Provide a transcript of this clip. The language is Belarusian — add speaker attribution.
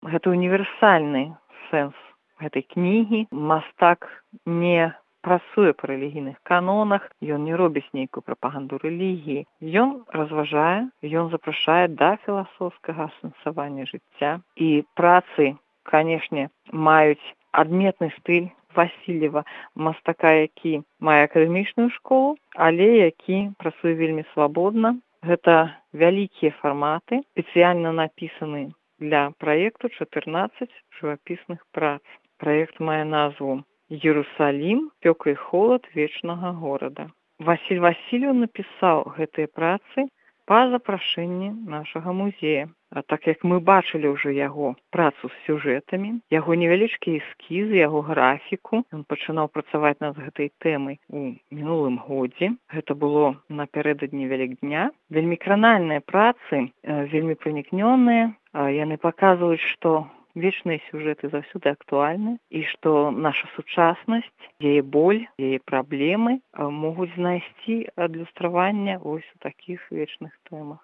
Speaker 1: гэта універсальны сэнс гэтай кнігі. Мастак не працуе па рэлігійных канонах, ён не робіць нейкую прапаганду рэлігіі. Ён разважае, ён запрашае да філасофскага асэнсавання жыцця. І працы, канешне, маюць адметны стыль Васильева, мастака, які мае акадэмічную школу, але які працуе вельмі свабодна. Гэта вялікія фарматы, спецыяльна напісаны для праекту 14 жывапісных прац. Праект мае назву «Иерусалим, спёка і холад вечнага горада». Васіль Васильев напісаў гэтыя працы па запрашэнні нашага музея. А так як мы бачылі ўжо яго працу з сюжэтамі, яго невялічкія эскізы, яго графіку, ён пачынаў працаваць над гэтай тэмай у мінулым годзе. Гэта было напярэдадні Вялікдня. Вельмі кранальныя працы, вельмі пранікнёныя. Яны паказваюць, што вечныя сюжэты заўсёды актуальны і што наша сучаснасць, яе боль, яе праблемы могуць знайсці адлюстраванне вось у такіх вечных тэмах.